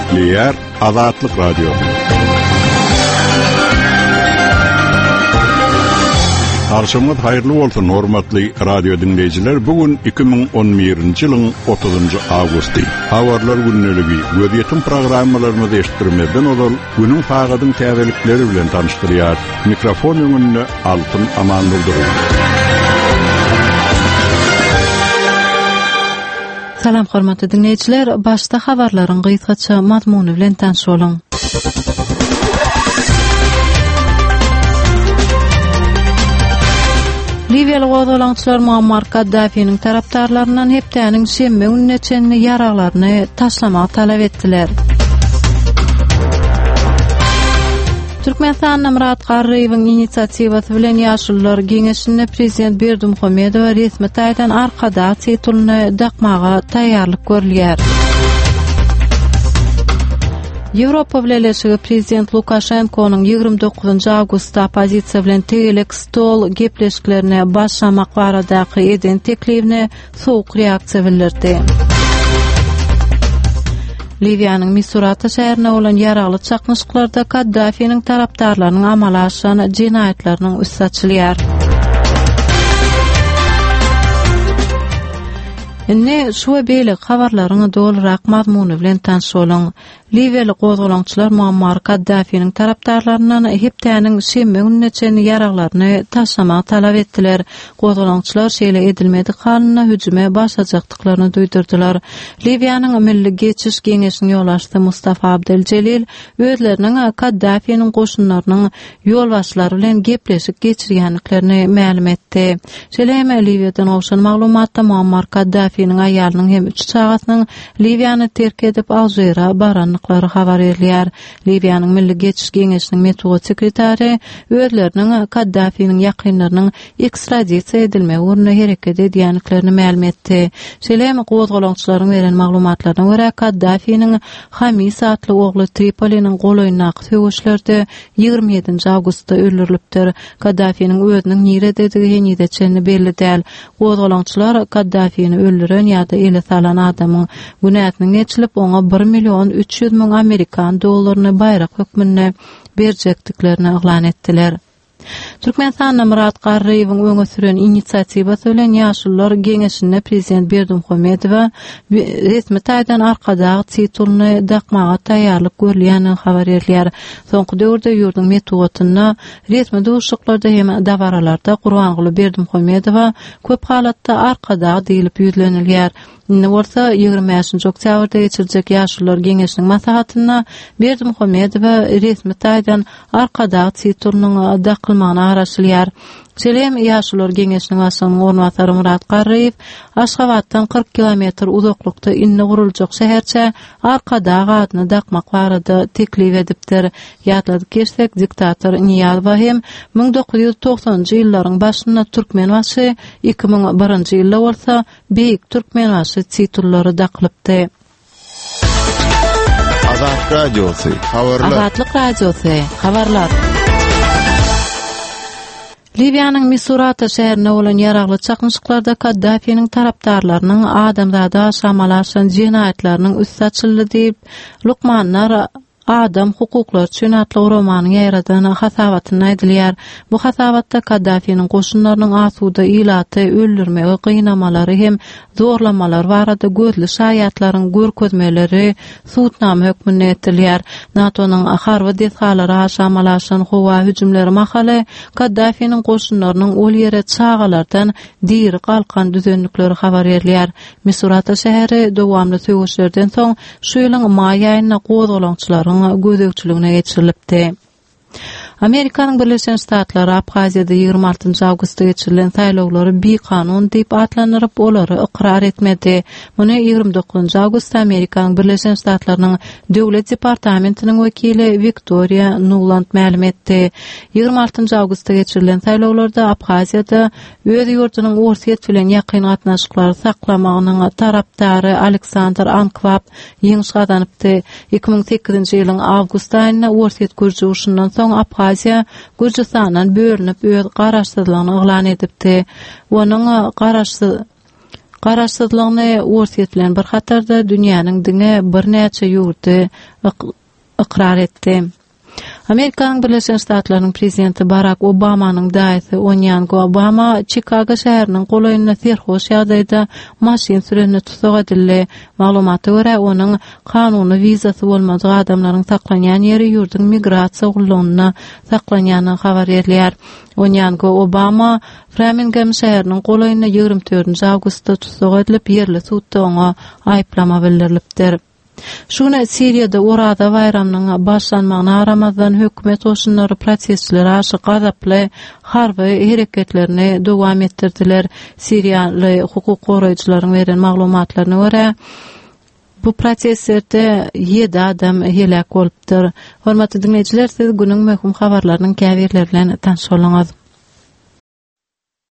Gepleýär Azatlyk Radiosy. Agşamyňyz haýyrly bolsun, hormatly radio diňleýjiler. Bu gün 2011-nji ýylyň 30-njy awgusty. Habarlar gündeligi, gözýetim programmalarymyzy eşitdirmezden ozal, günüň sagadyň täzelikleri bilen tanyşdyrýar. Mikrofon öňünde Altyn Amandurdyýew. Salam hormatly diňleýjiler, başda habarlaryň gysgaça mazmuny bilen tanyş boluň. Liwiýaly gozgalaňçylar Muammar Kaddafiniň tarapdarlaryndan hepdäniň şenbe gününe çenli ýaraglaryny taşlamagy talap etdiler. Türkmenistanda Myrat Garryýewiň inisiatiwasy bilen Ýaşulular geňeşinde prezident Berdimuhamedowa resmi taýdan Arkadag titulyny dakmaga taýýarlyk görülýär. Ýewropa Bileleşigi prezident Lukaşenkonyň 29 awgustda oppozisiýa bilen tegelek stol gepleşiklerine başlamak baradaky eden teklibine sowuk reaksiýa bildirdi. Liwiýanyň Misurata şäherinde bolan ýaragly çaknyşyklarda Kaddafiniň tarapdarlarynyň amala aşyran jenaýatlarynyň üsti açylýar. Indi şu we beýleki habarlaryň dolurak mazmuny bilen tanyş boluň. Liwiýaly gozgalaňçylar Muammar Kaddafiniň tarapdarlaryndan hepdäniň şenbe gününe çenli ýaraglaryny taşlamagy talap etdiler. Gozgalaňçylar şeýle edilmedik halynda hüjüme başlajakdyklaryny duýdurdylar. Liwiýanyň Milli geçiş geňeşiniň ýolbaşçysy Mustafa Abdel Jelil özleriniň Kaddafiniň goşunlarynyň ýolbaşçylary bilen gepleşik geçirýändiklerini mälim etdi. Şeýle hem Liwiýadan gowşan maglumatda Muammar Kaddafiniň aýalynyň hem üç çagasynyň Liwiýany terk edip Alžire barandyklary habar berilýär. Liwiýanyň Milli geçiş geňeşiniň metbugat sekretary özleriniň Kaddafiniň ýakynlarynyň ekstradisiýa edilmegi ugrunda hereket edýändiklerini mälim etdi. Şeýle hem gozgalaňçylaryň beren maglumatlaryna görä, Kaddafiniň Hamis atly ogly Tripoliniň golaýyndaky söweşlerde 27-nji awgustda öldürilipdir. Kaddafiniň özüniň nirededigi henize çenli belli däl. Gozgalaňçylar Kaddafini öldüren ýa-da ele salan adamyň günäsiniň geçilip, oňa bir million 300 müň amerikan dollaryny baýrak hökmünde berjekdiklerini yglan etdiler. Türkmenistanda Myrat Garryýewiň öňe süren inisiatiwasy bilen Ýaşulular geňeşinde prezident Berdimuhamedowa resmi taýdan Arkadag titulyny dakmaga taýýarlyk görülýändigi habar berilýär. Soňky döwürde ýurduň metbugatynda, resmi duşuşyklarda hem dabaralarda Gurbanguly Berdimuhamedowa köp halatda Arkadag diýlip ýüzlenilýär. Indi bolsa 25-nji oktýabrda geçiriljek Ýaşulular geňeşiniň maslahatynda Berdimuhamedowa resmi taýdan Arkadag titulynyň dakylmagyna garaşylýar. Şeýle hem Ýaşulular geňeşiniň başlygynyň orunbasary Myrat Garryýew Aşgabatdan 40 kilometr uzaklykda indi guruljak şäherçä Arkadag adyny dakmak barada teklip edipdir. Ýatladyp geçsek, diktator Nyýazowa hem 1990-njy ýyllaryň başynda Türkmenbaşy, 2001-nji ýylda bolsa Beýik Türkmenbaşy titullary dakylypdy. Azat Radiosy, habarlar. Azatlyk Radiosy, habarlar. Liwiýanyň Misurata şäherinde bolan ýaragly çaknyşyklarda Kaddafiniň tarapdarlarynyň adamzada garşy amala aşyran jenaýatlarynyň üsti açyldy diýip, lukmanlar Adam hukuklary üçin atly guramanyň ýaýradan hasabatynda aýdylýar. Bu hasabatda Kaddafiniň goşunlarynyň asuda ilaty öldürmegi, gynamalary hem zorlamalary barada gözli şaýatlaryň görkezmeleri subutnama hökmünde getirilýär. NATO-nyň harby desgalary aşa amala aşyran howa hüjümleri mahaly Kaddafiniň goşunlarynyň ol ýere çagalardan diri galkan düzendikleri habar berilýär. Misurata şäheri dowamly söweşlerden soň şu ýylyň maý aýynda gozgalaňçylaryň gözegçiligine geçirilipdi. Amerikanyň Birleşen Ştatlary Abhaziýada 26 awgustda geçirilen saýlawlary bikanun diýip atlandyryp, olary ykrar etmedi. Muny 29 awgustda Amerikanyň Birleşen Ştatlarynyň Döwlet departamentiniň wekili Wiktoriýa Nuland mälim etdi. 26 awgustda geçirilen saýlawlarda Abhaziýada Öz ýurdunyň Orsýet bilen ýakyn gatnaşyklary saklamagynyň tarapdary Aleksandr Ankwap ýeňiş gazanypdy. 2008-nji ýylyň awgust aýynda Orsýet-gürji urşundan soň Abhaziýa Gürjüstandan bölünip öz garaşsyzlygyny yglan edipdi. Onuň garaşsyz. Garaşsyzlygyny Orsýet bilen bir hatarda dünýäniň diňe birnäçe ýurdy ykrar etdi. Amerikanyň Birleşen Ştatlarynyň prezidenti Barak Obamanyň daýysy Onýango Obama Çikago şäheriniň golaýynda serhoş ýagdaýda maşyn sürende tussag edildi. Maglumata görä, onuň kanuny wizasy bolmadyk adamlaryň saklanýan ýeri ýurduň migrasiýa gullugynda saklanýandygy habar berilýär. Onýango Obama Framingem şäheriniň golaýynda 24 awgustda tussag edilip, ýerli sudda oňa aýyplama bildirilipdir. Şu gün Siriýada Oraza baýramynyň başlanmagyna garamazdan, hökümet goşunlary protestçilere garşy gazaply harby hereketlerini dowam etdirdiler. Siriýaly hukuk goraýjylaryň beren maglumatlaryna görä, bu protestlerde ýedi adam heläk bolupdyr. Hormatly diňleýjiler, siz günüň möhüm habarlarynyň käbirleri bilen tanyş bolduňyz.